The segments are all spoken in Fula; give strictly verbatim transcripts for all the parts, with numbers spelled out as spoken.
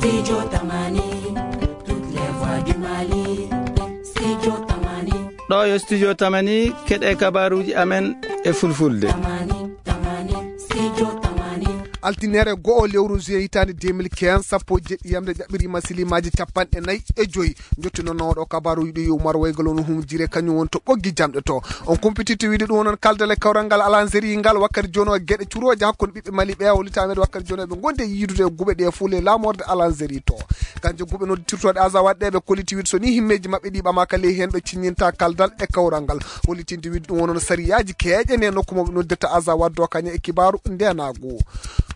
Studio Tamani, toutes les voix du Mali. Studio Tamani. Ɗo yo Studio Tamani, keɗe kabaruji amen e fulfulde. Tamani, Tamani, Studio Tamani. Altinere go'o lewru juin hitaande deux mille quinze, sappo e jeɗɗi yamde jaɓɓiri masilimaaji capanɗe nayi e joyi. Jottinooɗo kabaruji ɗi yo Umar Waygol on humjire, kañum woni to ɓoggi jamɗe to. On kumpititte wiide ɗum onon kaldal e kawral ngal Alanzeri ngal wakkati jooni o geɗe curooje hakkunde ɓiɓɓe Mali ɓe, o litameede wakkati jooni o ɓe ngondi e yiidude e guɓe ɗe fof le lamorde Alanzeri to. Kanje guɓe noddirtooɗe Azawad ɗe ɓe kolliti wiide so ni himmeeji maɓɓe ɗi ɓamaaka ley heen ɓe ciññinta kaldal e kawral ngal. Hollitinde wiide ɗum onon sariyaaji keeƴe ne nokku mo ɓe noddirta Azawad do kañe e kibaaru ndenaagu.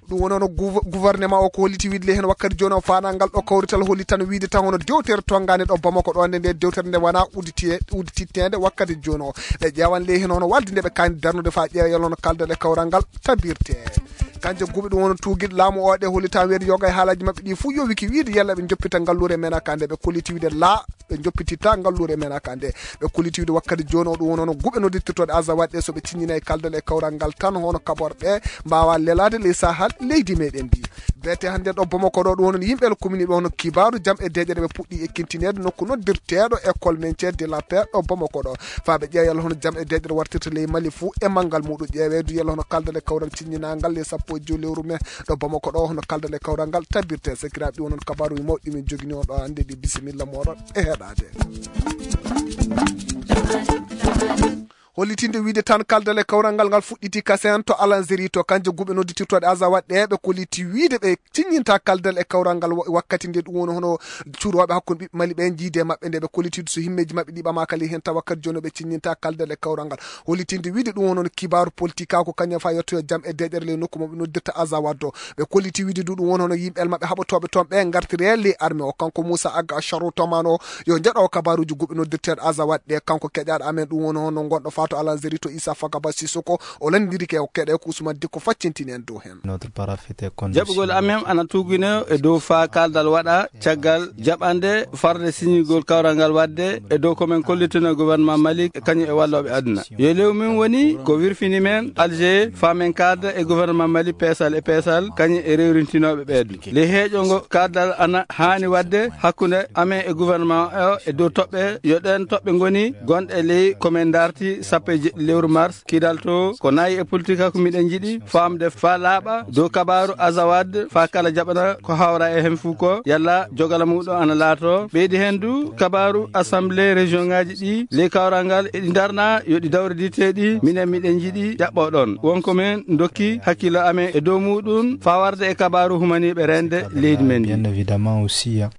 Ɗum woni hono gouv-, gouvernement o ko holliti wiide le heen wakkati jooni o faanaa ngal ɗo kawrital holli tan wiide tan hono dewtere tonngande ɗo Bamako ɗo nde, nde dewtere nde wonaa udditiye-, uddititteende wakkati jooni o. Ɓe ƴeewan le heen hono walde nde ɓe kaani darnude faa ƴeewa yalla hono kaldal e kawral ngal tabirte. Kanje guɓe ɗum woni tuugiɗo laamu o ɗe holli tan weedo yoga e haalaaji maɓɓe ɗi fof yo wiki wiide yalla ɓe joppita ngalluure men aka nde ɓe kolliti wiide laa ɓe joppititta ngalluure men aka nde. Ɓe kolliti wiide wakkati jooni o ɗum woni hono guɓe noddirtirtooɗe Azawad ɗe so ɓe ciññinay kaldal e kawral ngal tan hono kaɓorɗe mbaawa lelaade ley sahal leydi meɗen ndi. Beete hannde ɗo Bamako ɗo ɗum woni yimɓe el commune ɓe hono kibaaru jam e deeƴere ɓe puɗɗi ekkintineede nokku noddirteeɗo école maintien de la paix ɗo Bamako ɗo. Faa ɓe ƴeewa yalla hono jam e deeƴere wartirta ley Mali fuu e manngal muɗum ƴeeweedu yalla hono kaldal e kawral ciññinangal ley sappo e joy lewru mai ɗo Bamako ɗo hono kaldal e kawral ngal tabirte. Sakiraaɓe ɗi onon kabaaruji mawɗi min jogini on ɗo hannde ɗi bisimilla mooɗon e heɗaade. Hollitinde wiide tan kaldal e kawral ngal ngal fuɗɗiti kasen to Alanzeri to kanje guɓe nodditirtooɗe Azawad ɗe ɓe kolliti wiide ɓe ciññinta kaldal e kawral ngal wa-, wakkati nde ɗum woni hono curooɓe hakkunde ɓiɓɓe Mali ɓe jiide maɓɓe nde ɓe kolliti so himmeeji maɓɓe ɗi ɓamaaka ley heen tawa wakkati jooni ɓe ciññinta kaldal e kawral ngal. Hollitinde wiide ɗum woni hono kibaaru politique ko kañum fa yettoyo jam e deeƴere ley nokku mo ɓe noddirta Azawad ɗo. Ɓe kolliti wiide du ɗum woni hono yimɓe maɓɓe haɓotooɓe toon ɓe ngartire ley armée o. Kanko Moussa Aga Charou Tomano yo njaɗo kabaruji guɓe noddirteeɗo Azawad ɗe. Kanko keƴaaɗo amen ɗum woni hono gonɗo fato Alanzeri to Issa Fagaba Sissoko. O lanndiri ke o keɗe ko Ousmane Dikko faccintini en dow heen. Notre parafite condition. Jaɓugol amen ana tugine e dow faa kaldal waɗa caggal jaɓande farde siñigol kawral ngal waɗde e dow ko men kollitino gouvernement Mali kañum e wallooɓe aduna. Yo lew min woni ko wirfini men Alger faa men kaalda e gouvernement Mali peesal e peesal kañum e rewrintinooɓe ɓeedu. Ley heeƴo ngo kaldal ana haani waɗde hakkunde amen e gouvernement o e dow toɓɓe, yo ɗeen toɓɓe ngoni gonɗe ley ko men darti sappo e jeɗɗi lewru mars, kidal to ko nayi e politique ko miɗen njiɗi faamde faa laaɓa dow kabaaru Azawad faa kala jaɓana ko hawra e heen fof ko yalla jogala muɗum ana laato. Ɓeydi heen du kabaaru assemblée région ngaji ɗi ley kawral ngal eɗi darna yo ɗi dawridite ɗi minen miɗen njiɗi jaɓɓo ɗon. Wonko men dokki hakkillo amen e dow muɗum faa warde e kabaaru humaniiɓe rende leydi men ndi. Bien évidemment aussi, hein.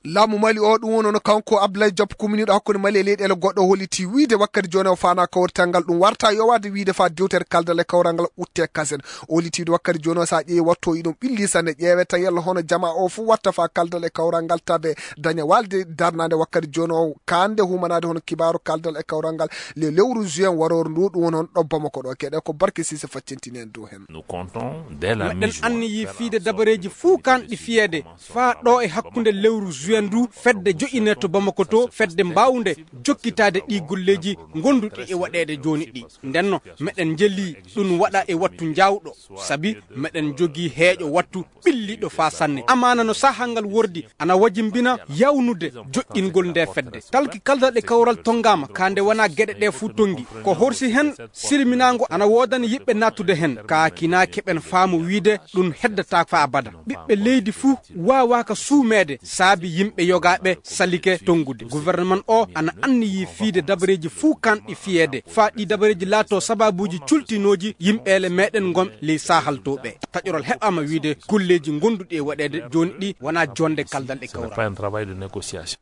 Laamu Mali o ɗum woni hono kanko Abdoulaye Diop kuminiiɗo hakkunde Mali e leyɗeele goɗɗo holliti wiide wakkati jooni o faanaa kawrital ngal ɗum warta yowaade wiide faa dewtere kaldal e kawral ngal utte kasen. O holliti wiide wakkati jooni o so a ƴeewi wattu o iɗum ɓilli sanne ƴeewete yalla hono jamaa o fof watta faa kaldal e kawral ngal tabe daña walde darnaande wakkati jooni o kaande humanaade hono kibaaru kaldal e kawral ngal le lewru juin warooru ndu ɗum woni hono ɗo Bamako ɗo keɗe ko Barke Sise faccintini en dow heen. Nous comptons dès la meɗen mi-juin anniyi faire fiide en sorte dabareeji fuu kanɗi fiyeede faa ɗo e hakkunde lewru juin ndu fedde joƴine to Bamako to fedde mbawnde jokkitaade ɗi golleeji ngonduɗi e waɗeede jooni ɗi. Ndenno meɗen njeli ɗum waɗa e wattu njaawɗo sabi meɗen jogii heeƴo wattu ɓilliiɗo faa sanne. Amaana no sahaa ngal wordi ana wajimbina yawnude joƴƴingol nde fedde. Talki kaldal e kawral tonngaama ka nde wonaa geɗe ɗe fuu tonngi. Ko horsi heen silminaango ana woodani yiɓɓe naattude heen. Ka kinaa keɓen faamu wiide ɗum heddataa faa abada. Ɓiɓɓe leydi fuu waawaaka suumeede saabi yimɓe yogaaɓe salike tonngude. Gouvernement o ana anniyi fiide dabareeji fuu kanɗi fiyeede. Faa ɗi dabareeji laato sabaabuuji cultinooji yimɓeele meɗen ngon ley sahal to ɓe. Taƴoral heɓaama wiide golleeji ngonduɗi e waɗeede jooni ɗi wonaa jonde kaldal e kawral. Ce n'est pas un travail de négociation.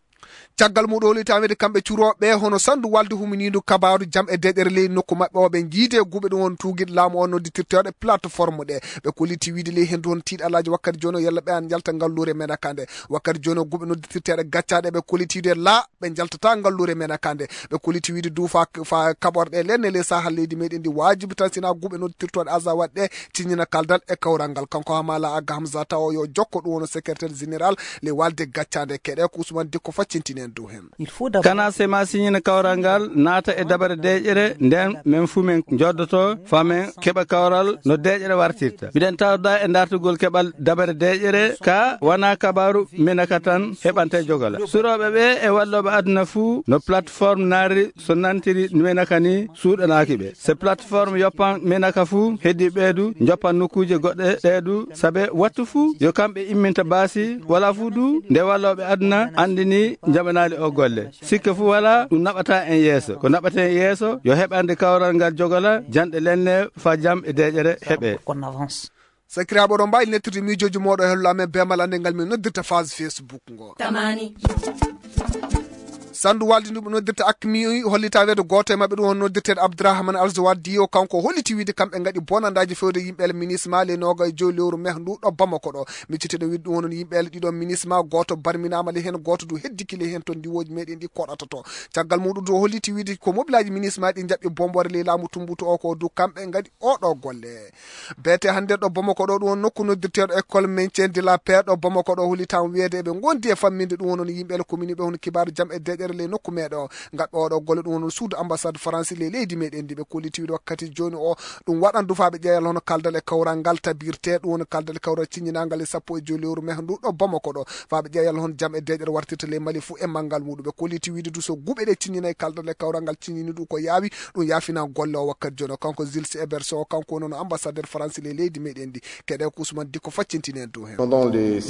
Caggal muɗum holitameede kamɓe curooɓe hono sandu walde huminiindu kabaaru jam e deeƴere ley nokku maɓɓe o ɓe njiide guɓe ɗum won tuugiɗo laamu o nodditirteeɗo plateforme ɗe. Ɓe kolliti wiide ley henndu hono tiiɗalaaji wakkati jooni o yalla ɓe an njalta ngalluure men aka nde. Wakkati jooni o guɓe nodditirteeɗe gaccaaɗe ɓe kolliti wiide laa ɓe njaltata ngalluure men aka nde. Ɓe kolliti wiide du fa, fa kaɓorɗe lenne ley sahal leydi meɗen ndi waajibi tan sina guɓe nodditirtooɗe Azawad ɗe ciññina kaldal e kawral ngal. Kanko Hamala Aga Hamza tawa yo jokko ɗum woni secrétaire général ley walde gaccande keɗe ko Ousmane Dikko faccintinen dow heen. Kana sema siñina kawral ngal naata e dabare deeƴere, nden men fuu men njoddoto faa men keɓa kawral no deeƴere wartirta. Miɗen tawda e dartugol keɓal dabare deeƴere, ka wona kabaaru Menaka tan heɓante jogola. Surooɓe ɓe e wallooɓe aduna fuu no plateforme naari so nantiri Menaka ni suuɗanaaki ɓe. Se plateforme yoppan Menaka fuu, heddi ɓeedu njoppan nokkuuje goɗɗe ɗee du, sabe wattu fuu yo kamɓe imminta baasi, wala fuu du nde wallooɓe aduna anndini njaɓanaali o golle. Sikke fuu wala ɗum naɓata en yeeso. Ko naɓata en yeeso yo heɓande kawral ngal jogola, janɗe lenne faa jam e deeƴere heɓe. Sakiraaɓe, oɗon mbaawi nettirde miijooji mooɗon e hello amen bee malande ngal min noddirta phase Facebook ngo. Tamani. Sandu waaldi ndu ɓe noddirta Akmi hollita weedo gooto e maɓɓe, ɗum on noddirteeɗo Abdourahmane Alzawadi o, kanko holliti wiide kamɓe ngaɗi bonandaaji fewde yimɓe ele minisma le nooga e joyi lewru meh ndu ɗo Bamako ɗo. Micciteɗo wiide ɗum onon yimɓe ele ɗiɗo minisma, gooto barminaama le heen, gooto du heddiki le heen to ndiwooji meɗen ɗi koɗata to. Caggal muɗum du o holliti wiide ko mobilaaji minisma ɗi njaɓɓi bomboore ley laamu tumbutu o ko du kamɓe ngaɗi oɗo golle. Beete hannde ɗo Bamako ɗo, ɗum on nokku noddirteeɗo école maintien de la paix ɗo Bamako ɗo, hollitam weede eɓe ngondi e famminde ɗum on yimɓe ele commune ɓe hono kibaaru jam e deeƴere ley nokku meɗo. Ngaɗɗo oɗo golle ɗum on suudu ambassade Faransi ley leydi meɗen ndi ɓe kolliti wiide wakkati jooni o ɗum waɗan du faa ɓe ƴeewa hono kaldal e kawral ngal tabirte, ɗum on kaldal e kawral ciññinangal e sappo e joyi lewru meh ndu ɗo Bamako ɗo, faa ɓe ƴeewa hono jam e deeƴere wartirta ley Mali fuu e manngal muɗum. Ɓe kolliti wiide du so guɓe ɗe ciññinay kaldal e kawral ngal ciññini ɗum ko yaawi, ɗum yaafina golle o wakkati jooni o. Kanko Gilles Eberso, kanko woni ambassadeur Faransi ley leydi meɗen ndi. Keɗe ko Ousmane Dikko faccintini en dow heen.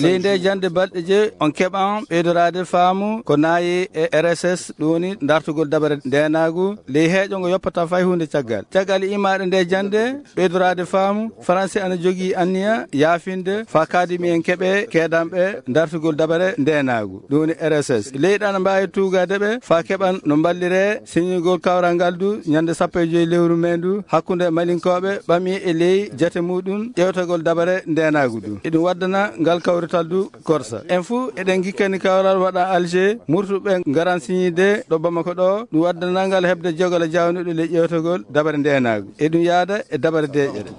Ley nde jannde balɗe jeyi, on keɓan ɓeydoraade faamu ko naayi e R S S, ɗum woni dartugol dabare ndeenaagu ley heeƴo ngo yoppata fay huunde caggal. Caggal imaade nde jannde, ɓeydoraade faamu, Faransi ana jogii anniya yaafinde faa kaadimi en keɓe keedanɓe dartugol dabare ndeenaagu, ɗum woni R S S. Leyɗe ana mbaawi tuugaade ɓe faa keɓan no mballiree siññugol kawral ngal du ñande sappo e joyi lewru mee ndu hakkunde Malinkooɓe ɓami e ley jate muɗum ƴeewtagol dabare ndeenaagu du. Eɗum waddana ngal kawrital du korsa. En fuu eɗen ngikkani kawral waɗa Alger, murtuɓe ngaran siñiide ɗo Bamako ɗo, ɗum waddana ngal heɓde jogal jawnuɗo ley ƴeewtagol dabare ndeenaagu. Eɗum yaada e dabare deeƴere.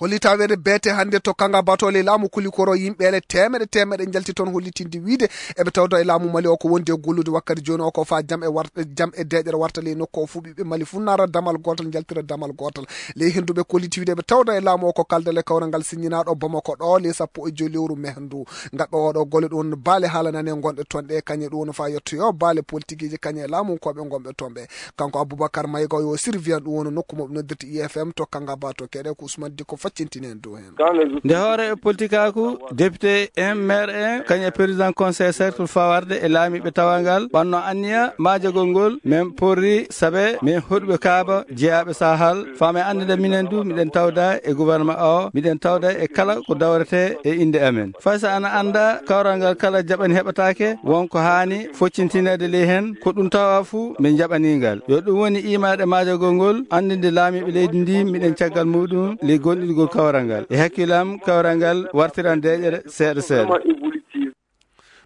Hollita weede beete hannde to Kanga Bato ley laamu Kulikoro, yimɓe ele teemeɗe teemeɗe njalti toon, hollitinde wiide eɓe tawda e laamu Mali o ko wondi e gollude wakkati jooni o ko faa jam e war-, jam e deeƴere warta ley nokku o fuu, ɓiɓɓe Mali fuu nara damal gootal, njaltira damal gootal. Ley henndu ɓe kolliti wiide eɓe tawda e laamu o ko kaldal e kawral ngal siññinaaɗo Bamako ɗo ley sappo e joyi lewru meh ndu. Ngaɗɗo oɗo golle ɗum woni baale haalanani e gonɗe toon ɗe, kañe ɗum woni faa yettoyo baale politikiiji kañe e laamu ko ɓe gonɓe toon ɓe. Kanko Aboubacar Maïga o yo surveillant ɗum woni nokku mo ɓe noddirta I F M to Kanga Bato keɗe ko Ousmane Dikko faccintini en dow heen. Nde hoore e politikaaku, député en, maire en, kañum e président conseil cercle fawarde e laamiiɓe tawangal ɓanno anniya maajagol ngol, min porri sabe min hoɗuɓe kaaba jeyaaɓe Sahal, faa min anndida minen du miɗen tawda e gouvernement o, miɗen tawda e kala ko dawrete e innde amen. Fay so ana annda kawral ngal kala jaɓani heɓataake, won ko haani foccintineede ley heen, ko ɗum tawa fuu min njaɓanii ngal. Yo ɗum woni imaade maajagol ngol, anndinde laamiiɓe leydi ndi miɗen caggal muɗum ley goonɗinɗigol kawral ngal. E hakkillam kawral ngal wartiran deeƴere seeɗa seeɗa.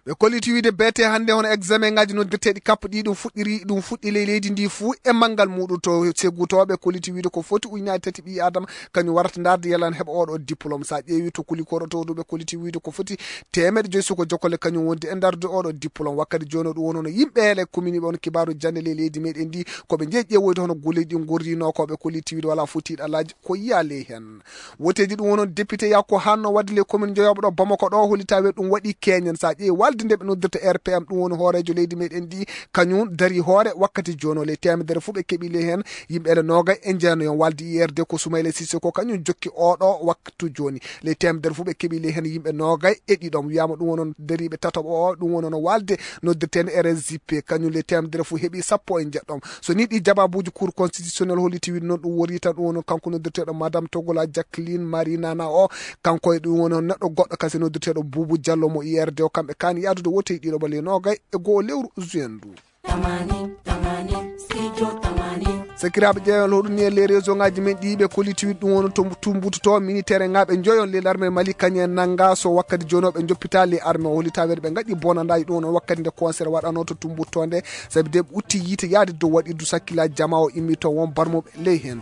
Ɓe kolliti wiide beete hannde hono examen ngaji noddirteeɗi kappo ɗi ɗum fuɗɗiri, ɗum fuɗɗi ley leydi ndi fuu e manngal muɗum to Segu to. Ɓe kolliti wiide ko foti ujunaaji tati ɓii Adama kañum warata ndaarde yalla ne heɓa oɗo diplôme. So a ƴeewi to Kulikoro to du ɓe kolliti wiide ko foti teemeɗe joyi suko jokkole kañum wondi e ndaarde oɗo diplôme. Wakkati jooni o ɗum woni hono yimɓe ele commune ɓe on kibaaru jannde ley leydi meɗen ndi ko ɓe jeyi ƴeewoyde hono golleji ɗi ngorrino ko ɓe kolliti wiide wala fotiiɗo alaaji ko yiya ley heen. Woteeji ɗum wonon député yakko hanno wadde les communes joyoɓe ɗo Bamako ɗo, holita we ɗum waɗi keñen. Sa ƴeewi walde nde ɓe noddirta R P M, ɗum woni hooreejo leydi meɗen ndi, kañum dari hoore wakkati jooni o. Ley temedere fof ɓe keɓi ley heen yimɓe ele noogay e jeenayon. Walde I R D ko Soumaïla Cissé ko kañum jokki oɗo waktu jooni. Ley temedere fof ɓe keɓi ley heen yimɓe noogay e ɗiɗon. Wiyama ɗum wonon dariɓe tataɓo o, ɗum wonono walde noddirteende R S J P, kañum ley temedere fof heɓi sappo e jeɗɗon. So ni ɗi jababuuji Cour constitutionnelle holliti wiide noon ɗum wori tan, ɗum woni kanko noddirteeɗo Madame Togola Jacqueline Marie Nana o, kanko e ɗum woni neɗɗo goɗɗo kasi noddirteeɗo Boubou Diallo mo I R D o, kamɓe kaani yahdude wote e ɗiɗo ɓale noogay e go'o lewru juin ndu. Tamani, tamani, studio tamani. Sakiraaɓe ƴeewen hoɗum ni e les réseau ngaji men ɗi ɓe kolliti wiide ɗum woni to tumbutoto militaire ngaɓe joyon les l'armée Mali kañum en nanga so wakkati jooni o ɓe joppita les armée o hollita weede ɓe ngaɗi bonandaji ɗum woni wakkati nde concert waɗano to tumbuto nde. Sabi de ɓe utti yiite yaade dow waɗirdu sakkilaaji jama o immi toon won barmuɓe ley heen.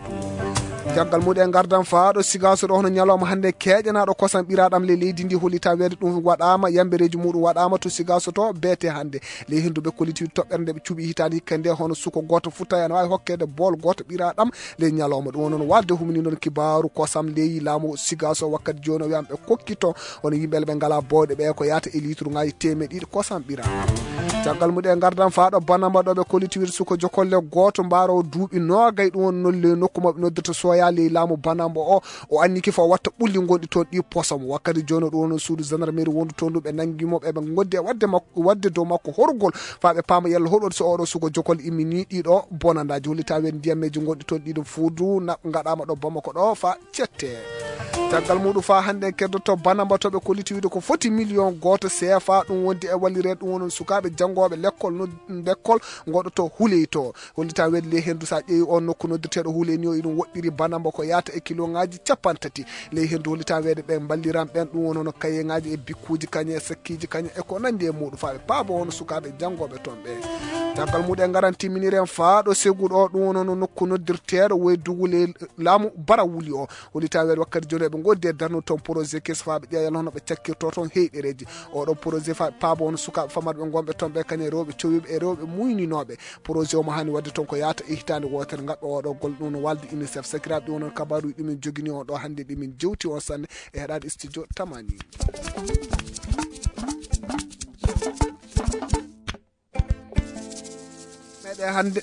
Caggal muɗum en ngardan faa ɗo Sigaaso ɗo, hono ñalawma hannde keeƴanaaɗo kosam ɓiraaɗam ley leydi ndi, hollitaa weede ɗum waɗaama, yambereeji muɗum waɗaama to Sigaaso to beete hannde. Ley henndu ɓe kolliti toɓɓere nde ɓe cuɓi hitaande hikka nde, hono suko gooto futtayano waawi hokkeede bool gooto ɓiraaɗam ley ñalawma. Ɗum woni noon walde humini noon kibaaru kosam ley laamu Sigaaso wakkati jooni o wiyan ɓe kokkito hono yimɓe ɓe ngalaa bowɗe ɓe ko yahata e liituruŋaaji teemeɗe ɗiɗi kosam ɓiraaɗam. Caggal muɗum en ngardan faa ɗo Banamba ɗo ɓe kolliti wiide suko jokolle gooto mbaaroowo duuɓi noogay, ɗum woni noon ley nokku maɓɓe noddirta Soya ley laamu Banamba o. O anniki fof watta ɓulli gonɗi toon ɗi posom. Wakkati jooni ɗum woni suudu gendarmerie wondu toon ɗum ɓe nangi mo ɓe ɓe ngoddi e wadde makko, wadde dow makko horgol faa ɓe paama yalla hoɗo so oɗo suko jokol immini ɗiɗo bonandaaji. Hollitaa ween ndiyammeeji gonɗi toon ɗiɗo fuudu na ngaɗaama ɗo Bamako ɗo faa cette. Caggal muɗum faa hannde en keddoto Banamba to ɓe kolliti wiide ko foti million gooto C F A ɗum wondi e wallire ɗum wonon sukaaɓe janngooɓe lekkol no lekkol ngoɗoto huley to. Hollitaa weede ley henndu so a ƴeewi on nokku noddirteeɗo huley ni o iɗum woɗɗiri Banamba ko yahata e kiloŋaaji capanɗe tati. Ley henndu hollitaa weede ɓe mballiran ɓen ɗum wonono kayeŋaaji e bikkuuji kañe e sakkiiji kañe e ko nanndi e muɗum faa ɓe paabo hono sukaaɓe janngooɓe toon ɓe. Caggal muɗum en ngaran timminiren faa ɗo Segu ɗo ɗum wonono nokku noddirteeɗo woy dugu ley laamu Bara Wuli o. Hollitaa weede wakkati jooni eɓe ngoddi e darnude toon projet keso faa ɓe ƴeewa yalla hono ɓe cakkirto toon heyɗereeji. Oɗo projet faa ɓe paabo hono sukaaɓe famarɓe ngonɓe toon ɓe kañe rewɓe cowiiɓe e rewɓe muyninooɓe. Projet o mo haani waɗde toon ko yahata e hitaande wootere ngaɗɗo oɗo golle ɗum no walde UNICEF. Sakiraaɓe ɗum noon kabaaruuji ɗi min jogini on ɗo hannde ɗi min jewti on sanne e heɗaade studio Tamani. Meɗe hannde.